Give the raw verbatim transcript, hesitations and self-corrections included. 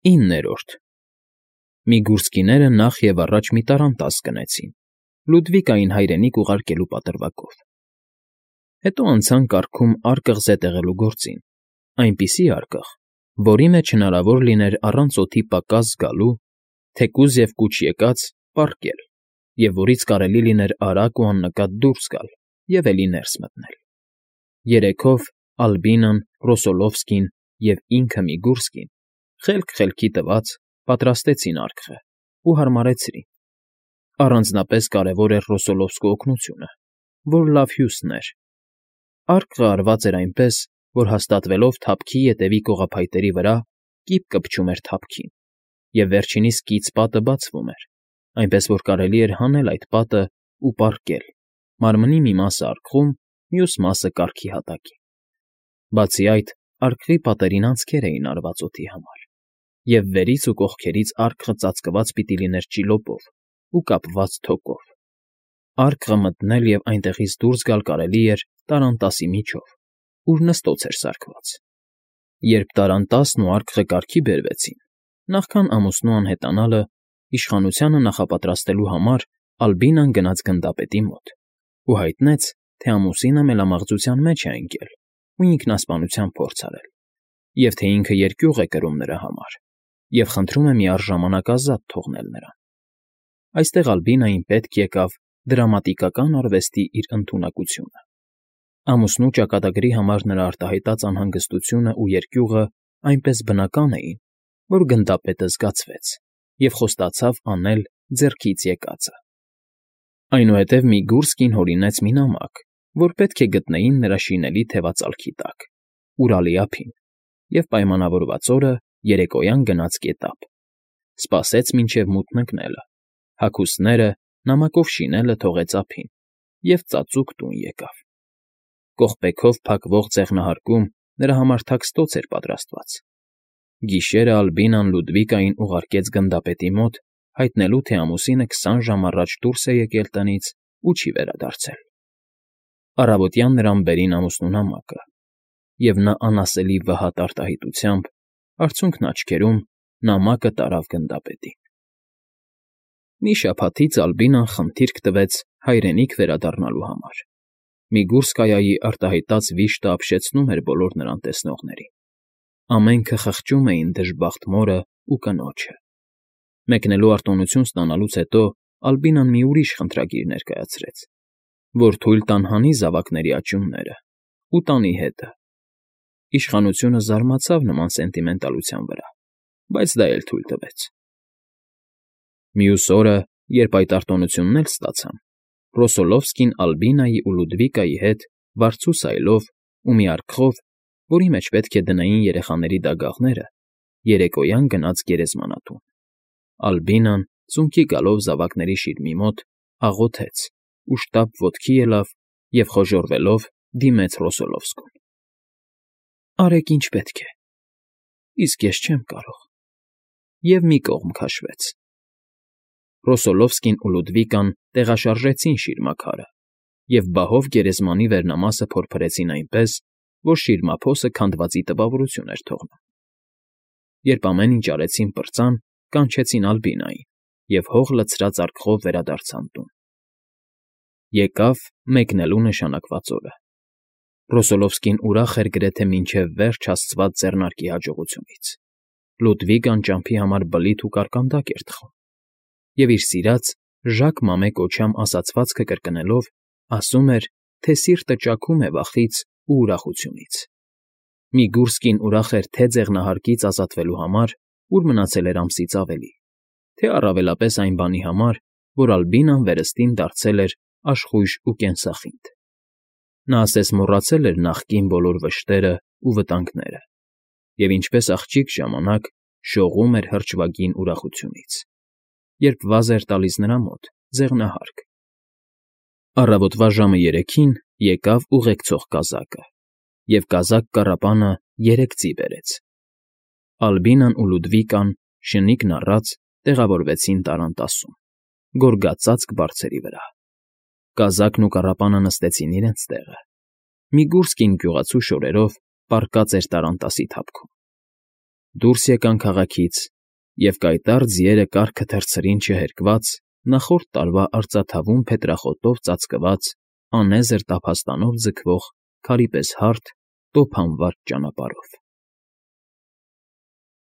Իններորդ Միգուրսկիները նախ և առաջ մի տարանտաս գնեցին, Լուդվիկային հայրենիք ուղարկելու պատրվակով. հետո անցան կառքում արկղ զետեղելու գործին, այնպիսի արկղ, որի մեջ հնարավոր լիներ առանց օդի պակաս զգալու, թեկուզ և կուչ եկած, պառկել և որից կարելի լիներ արագ ու աննկատ դուրս գալ և էլի ներս մտնել. երեքով Ալբինան, Ռոսոլովսկին և ինքը Միգուրսկին, խելք խելքի տված, պատրաստեցին արկղը ու հարմարեցրին. առանձնապես կարևոր էր Ռոսոլովսկու օգնությունը, որ լավ հյուսն էր. արկղը արված էր այնպես, որ հաստատվելով թափքի ետևի կողափայտերի վրա, կիպ կպչում էր թափքին, և վերջինիս կից պատը բացվում էր, այնպես որ կարելի էր հանել այդ պատն ու պառկել, մարմնի մի մասը արկղում, մյուս մասը կառքի հատակին. բացի այդ, արկղի պատերին անցքեր էին արված օդի համար, և վերից ու կողքերից արկղը ծածկված պիտի լիներ ճիլոպով ու կապված թոկով. արկղը մտնել և այնտեղից դուրս գալ կարելի էր տարանտասի միջով, ուր նստոց էր սարքված. երբ տարանտասն ու արկղը կարգի բերվեցին, նախքան ամուսնու անհետանալը, իշխանությանը նախապատրաստելու համար Ալբինան գնաց գնդապետի մոտ ու հայտնեց, թե ամուսինը մելամաղձության մեջ է ընկել ու ինքնասպանության փորձ արել, և թե ինքը երկյուղ է կրում նրա համար և խնդրում է միառժամանակ ազատ թողնել նրան. այստեղ Ալբինային պետք եկավ դրամատիկական արվեստի իր ընդունակությունը. ամուսնու ճակատագրի համար նրա արտահայտած անհանգստությունն ու երկյուղը այնպես բնական էին, որ գնդապետը զգացվեց և խոստացավ անել ձեռքից եկածը. այնուհետև Միգուրսկին հորինեց մի նամակ, որ պետք է գտնեին նրա շինելի թևածալքի տակ, Ուրալի ափին, և պայմանավորված օրը երեկոյան գնաց գետափ, սպասեց մինչև մութն ընկնելը, հագուստները նամակով շինելը թողեց ափին և ծածուկ տուն եկավ. կողպեքով փակվող ձեղնահարկում նրա համար թաքստոց էր պատրաստված. գիշերը Ալբինան Լուդվիկային ուղարկեց գնդապետի մոտ, հայտնելու, թե ամուսինը քսան ժամ առաջ դուրս է եկել տնից ու չի վերադարձել. առավոտյան նրան բերին ամուսնու նամակը, և նա անասելի վհատ արտահայտությամբ, արցունքն աչքերում, նամակը տարավ գնդապետին. մի շաբաթից Ալբինան խնդիրք տվեց հայրենիք վերադառնալու համար. Միգուրսկայայի արտահայտած վիշտը ապշեցնում էր բոլոր նրան տեսնողներին. ամենքը խղճում էին դժբախտ մորն ու կնոջը. մեկնելու արտոնություն ստանալուց հետո Ալբինան մի ուրիշ խնդրագիր ներկայացրեց, որ թույլ տան հանի զավակների աճյունները ու տանի հետը. իշխանությունը զարմացավ նման սենտիմենտալության վրա, բայց դա էլ թույլ տվեց. Մյուս օրը, երբ այդ արտոնությունն էլ ստացան, Ռոսոլովսկին Ալբինայի ու Լուդվիկայի հետ վարձու սայլով ու մի արկղով, որի մեջ պետք է դնեին երեխաների դագաղները, երեկոյան գնաց գերեզմանատուն. Ալբինան, ծունկի գալով զավակների շիրմի մոտ, աղոթեց ու շտապ ոտքի ելավ և խոժոռվելով դիմեց Ռոսոլովսկուն. արեք ինչ պետք է, իսկ ես չեմ կարող, և մի կողմ քաշվեց. Ռոսոլովսկին ու Լուդվիկան տեղաշարժեցին շիրմաքարը և բահով գերեզմանի վերնամասը փորփրեցին այնպես, որ շիրմափոսը քանդվածի տպավորություն էր թողնում. երբ ամեն ինչ արեցին պրծան, կանչեցին Ալբինային և հող լցրած արկղով վերադարձան տուն. եկավ մեկնելու նշանակված օրը. Ռոսոլովսկին ուրախ էր գրեթե մինչև վերջ հասցված ձեռնարկի հաջողությունից. Լուդվիկան ճամփի համար բլիթ ու կարկանդակ էր թխում, և իր սիրած Ժակ Մամե կոչյամ ասացվածքը կրկնելով, ասում էր, թե սիրտը ճաքում է վախից ու ուրախությունից. Միգուրսկին ուրախ էր թե՛ ձեղնահարկից ազատվելու համար, ուր մնացել էր ամսից ավելի, թե՛ առավելապես այն բանի համար, որ Ալբինան վերստին դարձել էր աշխույժ ու կենսախինդ. նա ասես մոռացել էր նախկին բոլոր վշտերն ու վտանգները և ինչպես աղջիկ ժամանակ շողում էր հրճվագին ուրախությունից, երբ վազ էր տալիս նրա մոտ ձեղնահարկ. Առավոտվա ժամը երեքին եկավ ուղեկցող կազակը, և կազակ֊կառապանը երեք ձի բերեց. Ալբինան ու Լուդվիկան, շնիկն առած, տեղավորվեցին տարանտասում, գորգածածկ բարձերի վրա. կազակն ու կառապանը նստեցին իրենց տեղը. Միգուրսկին գյուղացու շորերով պառկած էր տարանտասի թափքում. Դուրս եկան քաղաքից, և կայտառ ձիերը կառքը թռցրին չհերկված նախորդ տարվա արծաթավուն փետրախոտով ծածկված, անեզր տափաստանով ձգվող քարի պես հարթ, տոփ հանված ճանապարհով։